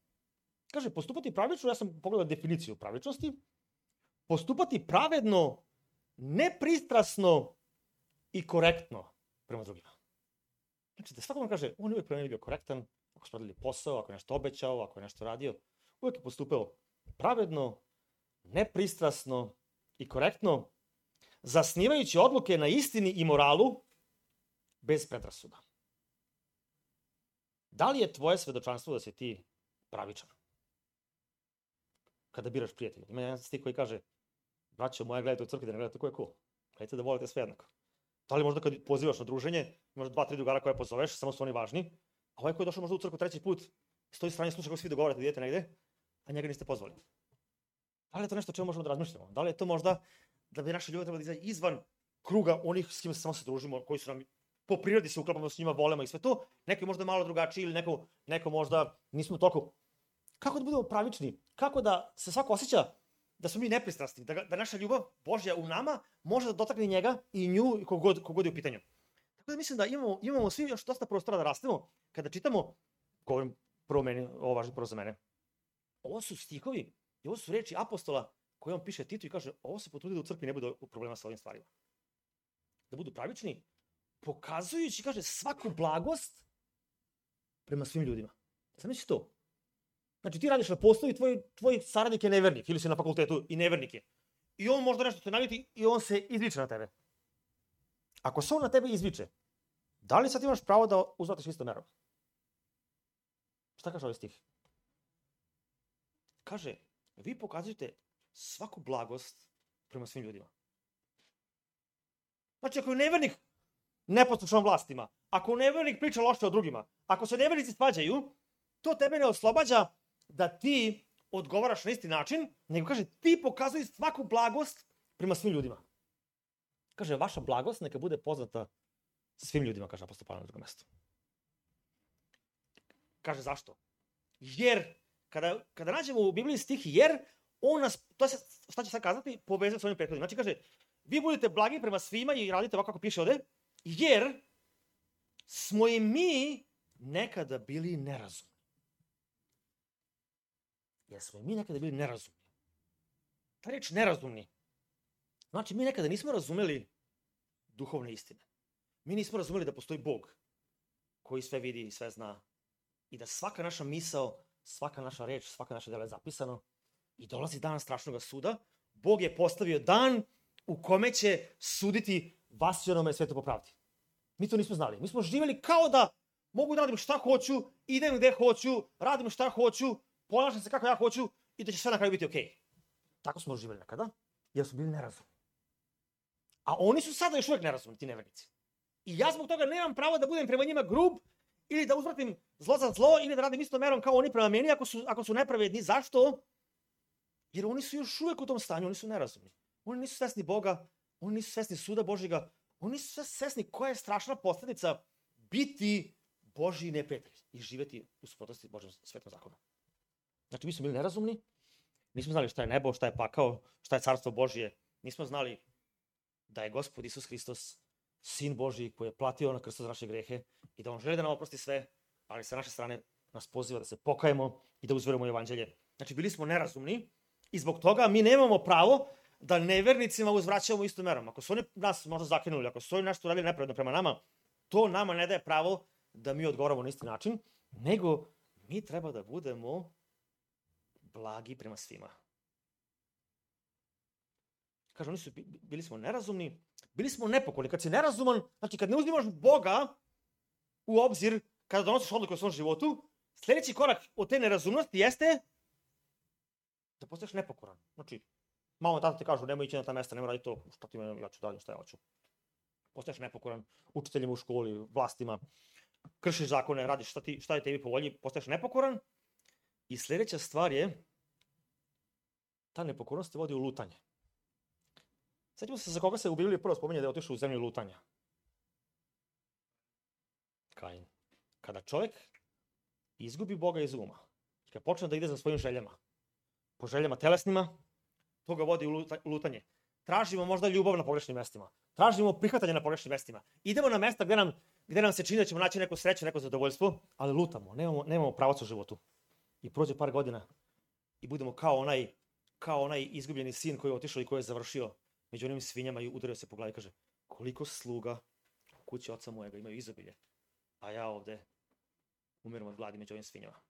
Kaže, postupati pravično, ja sam pogledao definiciju pravičnosti, postupati pravedno, nepristrasno i korektno prema drugima. Znači, da svakome kaže, on je uvijek prema bio korektan, ako su radili posao, ako je nešto obećao, ako je nešto radio, uvijek je postupao pravedno, nepristrasno i korektno, zasnivajući odluke na istini i moralu, bez predrasuda. Da li je tvoje svedočanstvo da si ti pravičan? Kada biraš prijatelja. Ima jedan stih koji kaže, braćo moja, gledajte u crkvi da ne gledate ko je ko. Gledajte da volite sve jednako. Da li možda kad pozivaš na druženje, imaš dva, tri drugara koje pozoveš, samo su oni važni, a ovaj koji je došao možda u crkvu treći put, stoji strane sluša kako svi dogovarate da idete negde, a njega niste pozvali. Da li je to nešto o čemu možemo da razmišljamo? Da li je to možda da bi naše ljubav trebali da izaći izvan kruga onih s kima se samo se družimo, koji su nam po prirodi se uklapamo s njima, volemo i sve to, neko je možda malo drugačiji ili neko, neko možda nismo toliko. Kako da budemo pravični? Kako da se svako osjeća da smo mi nepristrasni, da, da naša ljubav Božja u nama može da dotakne njega i nju kogod, kogod je u pitanju. Tako da mislim da imamo, imamo svi još dosta prostora da rastemo kada čitamo, govorim prvo meni, ovo važno prvo za mene, ovo su stihovi i ovo su reči apostola koje on piše Titu i kaže, ovo se potrudi da u crkvi ne bude problema sa ovim stvarima. Da budu pravični, pokazujući, kaže, svaku blagost prema svim ljudima. Zamisli to. Znači, ti radiš na poslu i tvoj, tvoj saradnik je nevernik, ili si na fakultetu i nevernik je. I on možda nešto te naljuti i on se izviče na tebe. Ako se on na tebe izviče, da li sad imaš pravo da uzvratiš isto merom? Šta kaže ovaj stih? Kaže, vi pokazujete svaku blagost prema svim ljudima. Znači, ako je nevernik neposlušan vlastima, ako nevernik priča loše o drugima, ako se nevernici svađaju, to tebe ne oslobađa da ti odgovaraš na isti način, nego kaže, ti pokazuj svaku blagost prema svim ljudima. Kaže, vaša blagost neka bude poznata svim ljudima, kaže apostol Pavle na drugom mestu. Kaže, zašto? Jer, kada, kada nađemo u Bibliji stih jer, on nas, to je, šta će sad kazati, povezati s ovim prethodnim. Znači, kaže, vi budete blagi prema svima i radite ovako kako piše ovde, jer smo i mi nekada bili nerazumni. Jer smo i mi nekada bili nerazumni. Ta reč nerazumni. Znači, mi nekada nismo razumeli duhovne istine. Mi nismo razumeli da postoji Bog koji sve vidi i sve zna. I da svaka naša misao, svaka naša reč, svaka naša dela je zapisano. I dolazi dan strašnog suda. Bog je postavio dan u kome će suditi vas i onome svetu po pravdi. Mi to nismo znali. Mi smo živjeli kao da mogu da radim šta hoću, idem gde hoću, radim šta hoću, ponašam se kako ja hoću i da će sve na kraju biti okej. Tako smo živjeli nekada, jer smo bili nerazumni. A oni su sada još uvijek nerazumni, ti nevernici. I ja zbog toga nemam pravo da budem prema njima grub ili da uzvratim zlo za zlo ili da radim istom merom kao oni prema meni ako su, ako su nepravedni. Zašto? Jer oni su još uvijek u tom stanju, oni su nerazumni. Oni nisu svesni Boga, oni nisu svesni suda Božjega, oni nisu svesni koja je strašna posljedica biti Božji neprijatelj i živjeti u suprotnosti Božjem svetom zakonu. Znači, mi smo bili nerazumni, nismo znali šta je nebo, šta je pakao, šta je carstvo Božje, nismo znali da je Gospod Isus Hristos Sin Božji koji je platio na krstu za naše grehe i da on želi da nam oprosti sve, ali sa naše strane nas poziva da se pokajemo i da uzverujemo u evanđelje. Znači, bili smo nerazumni i zbog toga mi nemamo pravo da nevernicima uzvraćamo istom merom. Ako su oni nas možda zakinuli, ako su oni nešto radili nepravedno prema nama, to nama ne daje pravo da mi odgovaramo na isti način, nego mi treba da budemo blagi prema svima. Kaže, oni su, bili smo nerazumni, bili smo nepokorni. Kad si nerazuman, znači kad ne uzmimaš Boga u obzir, kada donosiš odluku o svom životu, sljedeći korak od te nerazumnosti jeste da postaješ nepokoran. Znači, mama i tata ti kažu, nemoj ići na ta mesta, nemoj raditi to, šta ti mene, ja ću dalje, šta ja hoću. Postaješ nepokoran učiteljima u školi, vlastima, kršiš zakone, radiš šta, ti, šta je tebi po volji, postaješ nepokoran. I sljedeća stvar je, ta nepokornost te vodi u lutanje. Sjetimo se za koga se u Bibliji prvo spominje da je otišao u zemlju lutanja. Kain. Kada čovjek izgubi Boga iz uma, kada počne da ide za svojim željama, po željama telesnima, to ga vodi u lutanje. Tražimo možda ljubav na pogrešnim mestima. Tražimo prihvatanje na pogrešnim mestima. Idemo na mesta gdje nam, gdje nam se čini da ćemo naći neku sreću, neko zadovoljstvo, ali lutamo, nemamo, nemamo pravac u životu. I prođe par godina i budemo kao onaj, kao onaj izgubljeni sin koji je otišao i koji je završio među onim svinjama i udario se po glavi i kaže, koliko sluga u kući oca mojega imaju izobilje, a ja ovde umiram od gladi među ovim svinjama.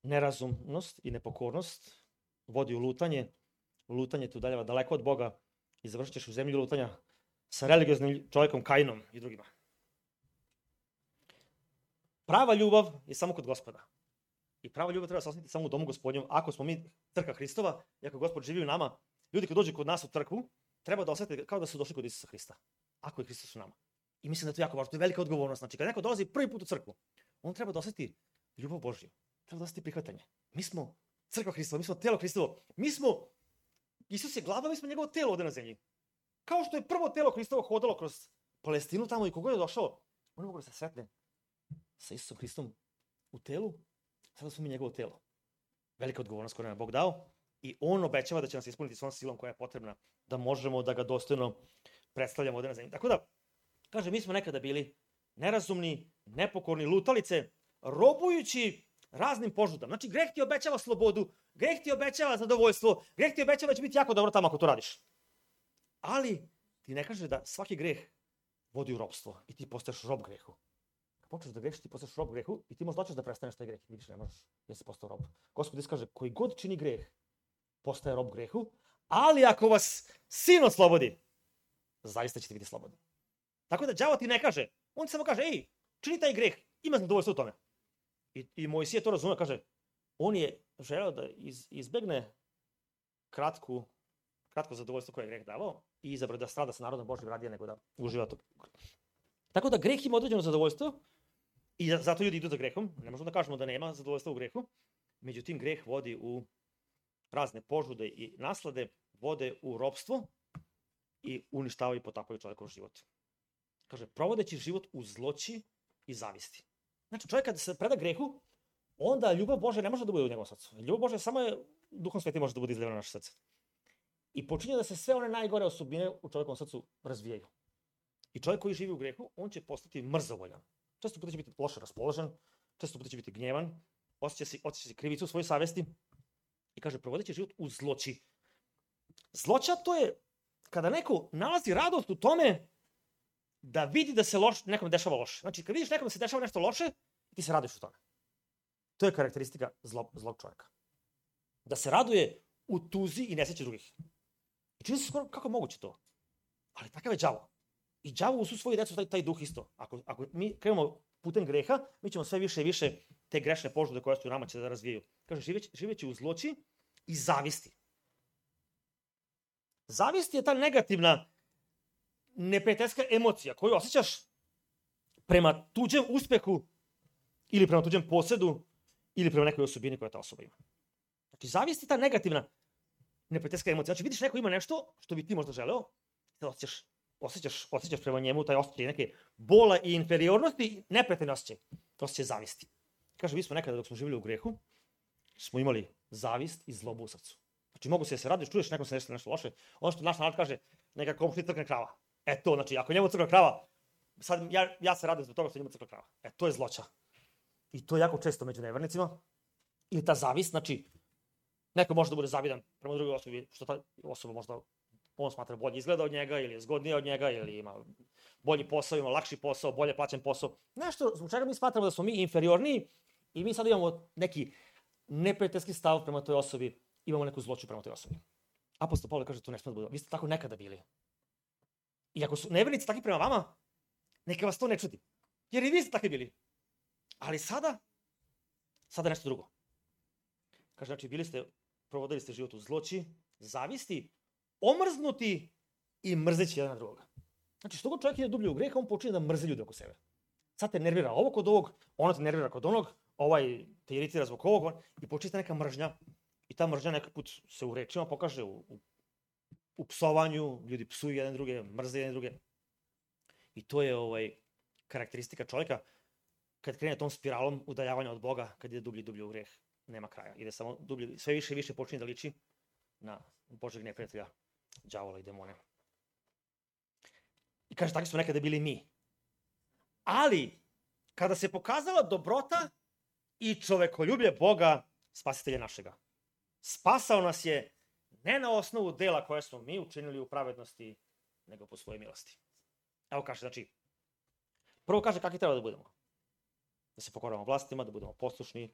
Nerazumnost i nepokornost vodi u lutanje, lutanje te udaljava daleko od Boga i završit ćeš u zemlji lutanja sa religioznim čovjekom Kainom i drugima. Prava ljubav je samo kod Gospoda. I prava ljubav treba se osjetiti samo u domu Gospodnjem. Ako smo mi crkva Hristova i ako Gospod živi u nama, ljudi koji dođu kod nas u crkvu, treba da osjete kao da su došli kod Isusa Hrista. Ako je Hristos u nama. I mislim da to je jako važno, to je velika odgovornost. Znači, kad neko dolazi prvi put u crkvu, on treba da osjeti ljubav Božju. Treba da osjeti prihvatanje. Mi smo crkva Hristova, mi smo telo Hristovo. Mi smo, Isus je glava, mi smo njegovo telo ovdje na zemlji. Kao što je prvo telo Hristovo hodalo kroz Palestinu tamo i kogod je došao, on je mogo da se sretne sa Isusom Hristom u telu, sada smo mi njegovo telo. Velika odgovornost koju nam je Bog dao i on obećava da će nas ispuniti svom silom koja je potrebna da možemo da ga dostojno predstavljamo ovdje na zemlji. Tako da, kaže, mi smo nekada bili nerazumni, nepokorni, lutalice, robujući raznim požudama. Znači, greh ti obećava slobodu, greh ti obećava zadovoljstvo, greh ti obećava da će biti jako dobro tamo ako to radiš. Ali ti ne kaže da svaki greh vodi u ropstvo i ti postaješ rob grehu. Kad počneš da grešiš, ti postaješ rob grehu i ti možda hoćeš da prestaneš taj greh. Vidiš, ne možeš, jer si postao rob. Gospod Isus kaže, koji god čini greh, postaje rob grehu, ali ako vas sin oslobodi, zaista ćete biti slobodni. Tako da đavo ti ne kaže, on ti samo kaže, ej, čini taj greh, ima zadovoljstvo u tome. I, i Mojsije to razume, kaže, on je želeo da iz, izbegne kratku, kratko zadovoljstvo koje je greh davao i izabrao da strada sa narodom Božjim radije nego da uživa to. Tako da greh ima određeno zadovoljstvo I zato ljudi idu za grehom. Ne možemo da kažemo da nema zadovoljstva u grehu. Međutim, greh vodi u razne požude i naslade, vode u ropstvo i uništavaju i potapaju čovjekov život. Kaže, provodeći život u zloći i zavisti. Znači, čovjek kada se preda grehu, onda ljubav Božja ne može da bude u njegovom srcu. Ljubav Božja samo je, Duhom Svetim može da bude izlivena na naše srce. I počinje da se sve one najgore osobine u čovjekovom srcu razvijaju. I čovjek koji živi u grehu, on će postati mrzovoljan. Često puta će biti loše raspoložen, često puta će biti gnjevan, osjeća se, osjeća se krivicu u svojoj savesti i kaže, provodeći život u zloći. Zloća to je kada neko nalazi radost u tome da vidi da se loš, nekom dešava loše. Znači, kad vidiš nekom da se dešava nešto loše, ti se radiš u tome. To je karakteristika zlo, zlog čovjeka. Da se raduje u tuzi i nesreći drugih. I čini se skoro kako je moguće to. Ali takav je đavo. I đavo u su svoju decu taj, taj duh isto. Ako, ako mi krenemo putem greha, mi ćemo sve više i više te grešne požude koje su u nama će da razvijaju. Kaže, živeći, živeći u zloći i zavisti. Zavist je ta negativna, neprijateljska emocija koju osjećaš prema tuđem uspehu ili prema tuđem posedu ili prema nekoj osobini koja ta osoba ima. Znači, zavist je ta negativna, neprijateljska emocija. Znači, vidiš neko ima nešto što bi ti možda želeo, da osjećaš, osjećaš, osjećaš prema njemu taj osjećaj neke bola i inferiornosti i neprijateljni osjećaj. Osjećaj zavisti. Kaže, mi smo nekada dok smo živjeli u grehu, smo imali zavist i zlobu u srcu. Znači, mogu se da se radiš, čuješ nekom se nešto, nešto loše. Ono što naš narod kaže, neka komšni crkne krava. E to, znači, ako njemu crkne krava, sad ja, ja se radim zbog toga što njemu crkne krava. E, to je zloća. I to je jako često među nevernicima. Ili ta zavist, znači, neko može da bude zavidan prema drugoj osobi, što ta osoba možda, on smatra bolje izgleda od njega, ili je zgodnija od njega, ili ima bolji posao, ima lakši posao, bolje plaćen posao. Nešto zbog čega mi smatramo da smo mi inferiorniji i mi sad imamo neki neprijateljski stav prema toj osobi, imamo neku zloću prema toj osobi. Apostol Pavle kaže, to ne sme da bude. Vi ste tako nekada bili. I ako su nevernici takvi prema vama, neka vas to ne čudi. Jer i vi ste takvi bili. Ali sada, sada nešto drugo. Kaže, znači, bili ste, provodili ste život u zloći, zavisti, omrznuti i mrzeći jedan na drugoga. Znači, što god čovjek ide dublje u greh, on počinje da mrzi ljude oko sebe. Sad te nervira ovo kod ovog, ono te nervira kod onog, ovaj te iritira zbog ovog, i počinje neka mržnja. I ta mržnja nekak put se u rečima pokaže u, u, u psovanju, ljudi psuju jedan druge, mrze jedan druge. I to je ovaj, karakteristika čovjeka kad krene tom spiralom udaljavanja od Boga, kad ide dublje i dublje u greh, nema kraja. Ide samo dublje, sve više i više počinje da liči na Božeg neprijatelja, đavola i demone. I kaže, takvi smo nekada bili mi. Ali, kada se pokazala dobrota i čovekoljublje Boga, spasitelja našega, spasao nas je ne na osnovu dela koje smo mi učinili u pravednosti, nego po svojoj milosti. Evo kaže, znači, prvo kaže kakvi treba da budemo. Da se pokoramo vlastima, da budemo poslušni,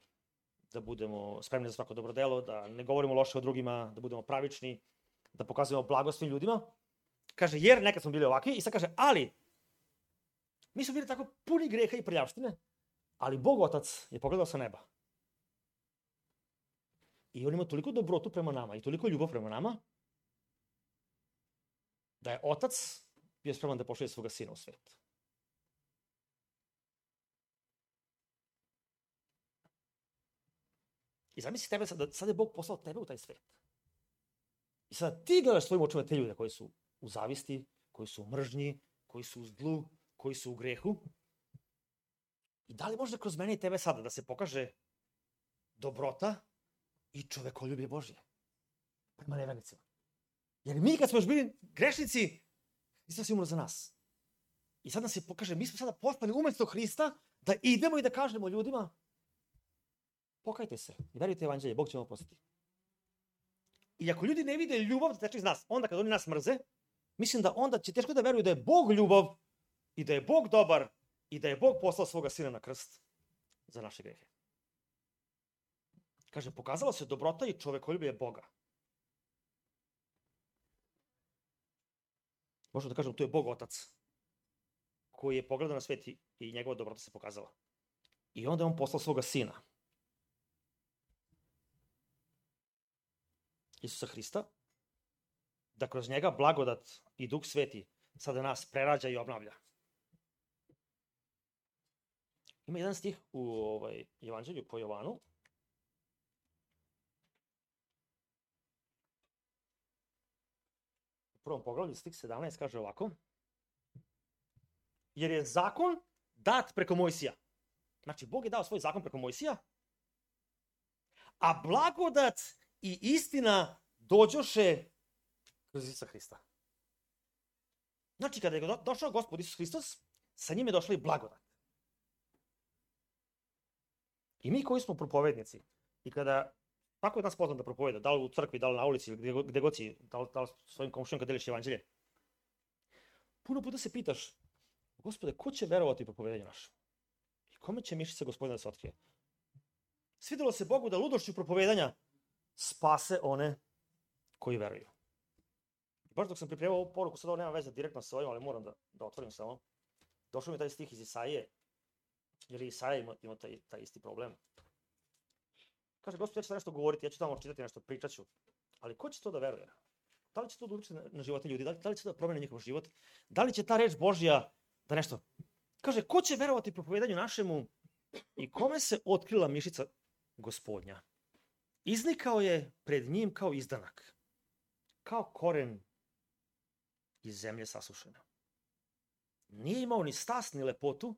da budemo spremni za svako dobro delo, da ne govorimo loše o drugima, da budemo pravični, da pokazujemo blago svim ljudima. Kaže, jer nekad smo bili ovakvi, i sad kaže, ali, mi smo bili tako puni greha i prljavštine, ali Bog Otac je pogledao sa neba. I on ima toliko dobrotu prema nama i toliko ljubav prema nama, da je Otac bio spreman da pošalje svoga sina u svet. I zamisli tebe, sad, sad je Bog poslao tebe u taj svet. I sada ti gledaš svojim očima te ljude koji su u zavisti, koji su u mržnji, koji su u zlu, koji su u grehu. I da li može kroz mene i tebe sada da se pokaže dobrota i čovekoljublje Božje prema nevernicima? Jer mi kad smo još bili grešnici, Hristos je umro za nas. I sad nam se pokaže, mi smo sada poslani umjesto Hrista da idemo i da kažemo ljudima, pokajte se i verujte evanđelje, Bog će vam oprostiti. I ako ljudi ne vide ljubav da teče iz nas, onda kad oni nas mrze, mislim da onda će teško da veruju da je Bog ljubav i da je Bog dobar i da je Bog poslao svoga sina na krst za naše grehe. Kaže, pokazala se dobrota i čovekoljublje Boga. Možemo da kažemo, to je Bog Otac koji je pogledao na svet i njegova dobrota se pokazala. I onda je on poslao svoga sina, Isusa Hrista, da kroz njega blagodat i Duh Sveti sada nas prerađa i obnavlja. Ima jedan stih u ovaj, Evanđelju po Jovanu. U prvom poglavlju stih sedamnaest kaže ovako. Jer je zakon dat preko Mojsija. Znači, Bog je dao svoj zakon preko Mojsija, a blagodat i istina dođoše kroz Isusa Hrista. Znači, kada je došao Gospod Isus Hristos, sa njim je došla i blagodat. I mi koji smo propovednici, i kada, tako je nas poznat da propoveda, da li u crkvi, da li na ulici, gde, gde god si, da li, da li svojim komšijom kad deliš evanđelje, puno puta se pitaš, Gospode, ko će verovati propovedanju našem? I kome će mišica Gospodina da se otkrije? Svidelo se Bogu da ludošću propovedanja spase one koji veruju. I baš dok sam pripremao ovu poruku, sad ovo nema veze direktno sa ovim, ali moram da, da otvorim samo. Došao mi taj stih iz Isaije, jer i Isaija ima, ima taj, taj isti problem. Kaže, Gospod, ja ću nešto govoriti, ja ću tamo čitati nešto, pričat ću. Ali ko će to da veruje? Da li će to da utiče na, na živote ljudi? Da li, da li će to da promene njihov život? Da li će ta reč Božja da nešto... Kaže, ko će verovati propovedanju našemu i kome se otkrila mišica Gospodnja? Iznikao je pred njim kao izdanak, kao koren iz zemlje sasušena. Nije imao ni stas ni lepotu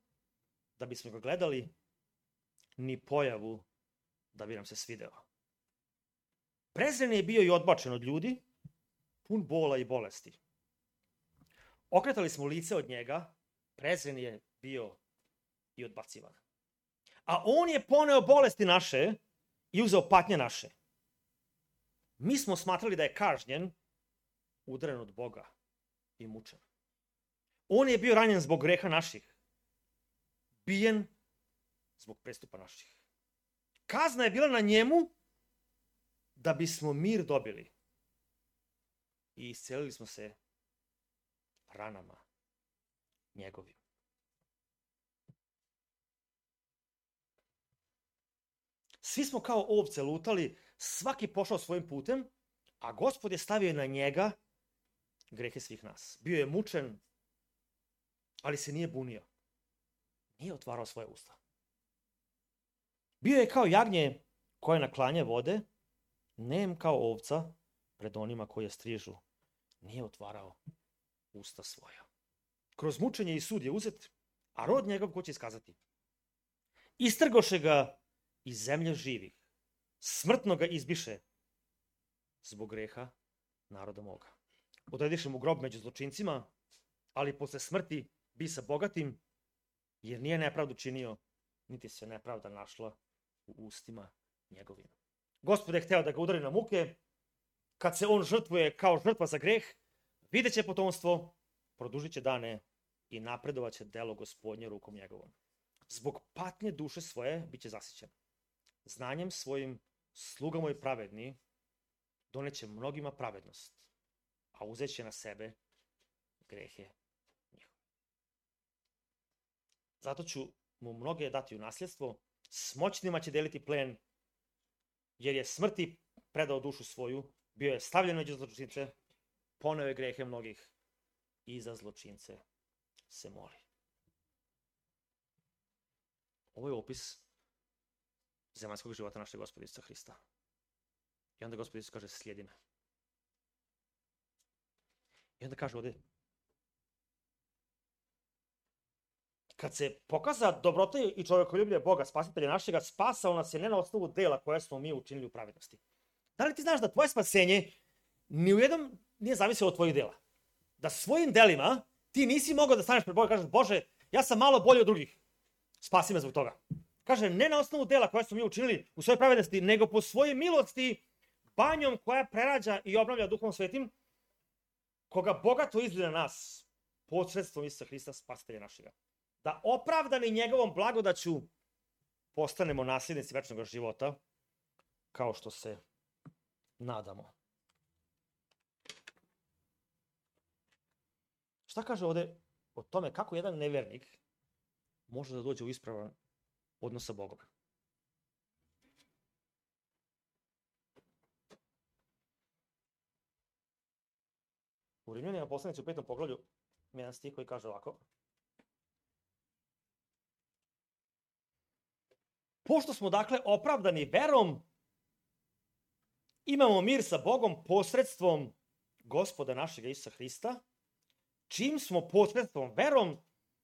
da bismo ga gledali, ni pojavu da bi nam se svideo. Prezren je bio i odbačen od ljudi, pun bola i bolesti. Okretali smo lice od njega, prezren je bio i odbacivan. A on je poneo bolesti naše i uzeo patnje naše. Mi smo smatrali da je kažnjen, udaren od Boga i mučen. On je bio ranjen zbog greha naših, bijen zbog prestupa naših. Kazna je bila na njemu da bismo mir dobili. I iscelili smo se ranama njegovim. Svi smo kao ovce lutali, svaki pošao svojim putem, a Gospod je stavio na njega grehe svih nas. Bio je mučen, ali se nije bunio. Nije otvarao svoje usta. Bio je kao jagnje koje na klanje vode, nem kao ovca pred onima koje strižu. Nije otvarao usta svoja. Kroz mučenje i sud je uzet, a rod njegov ko će iskazati. Istrgoše ga iz zemlje živih. Smrtno ga izbiše zbog greha naroda moga. Odrediše mu grob među zločincima, ali posle smrti bi sa bogatim, jer nije nepravdu činio, niti se nepravda našla u ustima njegovim. Gospod je hteo da ga udari na muke, kad se on žrtvuje kao žrtva za greh, vidjet će potomstvo, produžit će dane i napredovat će delo Gospodnje rukom njegovom. Zbog patnje duše svoje bit će zasićen. Znanjem svojim sluga moj pravedni doneće mnogima pravednost, a uzet će na sebe grehe njihove. Zato ću mu mnoge dati u nasljedstvo, s moćnima će deliti plen, jer je smrti predao dušu svoju, bio je stavljen među zločince, poneo je grehe mnogih i za zločince se moli. Ovo je opis zemaljskog života našeg Gospoda Isusa Hrista. I onda Gospod Isus kaže, slijedi me. I onda kaže ovde, kad se pokaza dobrota i čovekoljublje Boga, spasitelja našega, spasao nas je ne na osnovu dela koje smo mi učinili u pravednosti. Da li ti znaš da tvoje spasenje ni u jednom nije zavisilo od tvojih dela? Da svojim delima ti nisi mogao da staneš pred Boga i kažeš, Bože, ja sam malo bolji od drugih, spasi me zbog toga. Kaže, ne na osnovu dela koje smo mi učinili u svojoj pravednosti, nego po svojoj milosti, banjom koja prerađa i obnavlja Duhom Svetim, koga bogato izgleda na nas, posredstvom Isusa Hrista, spasitelja našega. Da opravdani njegovom blagodaću postanemo nasljednici večnog života, kao što se nadamo. Šta kaže ovde o tome kako jedan nevernik može da dođe u ispravan odnos sa Bogom? U Rimljanima poslanici u petom poglavlju ima jedan stih koji kaže ovako. Pošto smo dakle opravdani verom, imamo mir sa Bogom posredstvom Gospoda našeg Isusa Hrista, čim smo posredstvom verom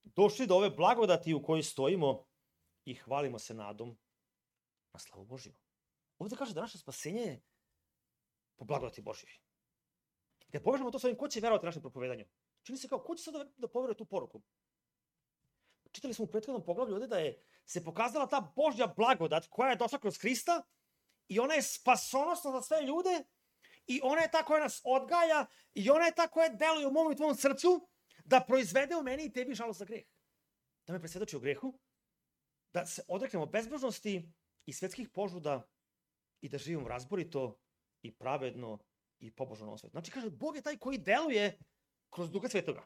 došli do ove blagodati u kojoj stojimo i hvalimo se nadom na slavu Božiju. Ovdje kaže da naše spasenje je po blagodati Božjoj. Kad povežemo to s ovim, ko će verovati našem propovedanju? Čini se kao, ko će sad da, da poveruje tu poruku? Čitali smo u prethodnom poglavlju ovdje da je se pokazala ta Božja blagodat koja je došla kroz Hrista i ona je spasonosna za sve ljude i ona je ta koja nas odgaja i ona je ta koja deluje u mom i tvojom srcu da proizvede u meni i tebi žalost za greh. Da me presvedoči o grehu, da se odreknemo bezbožnosti i svetskih požuda i da živimo razborito i pravedno i pobožno na ovom svijetu. Znači, kaže, Bog je taj koji deluje kroz Duha Svetoga.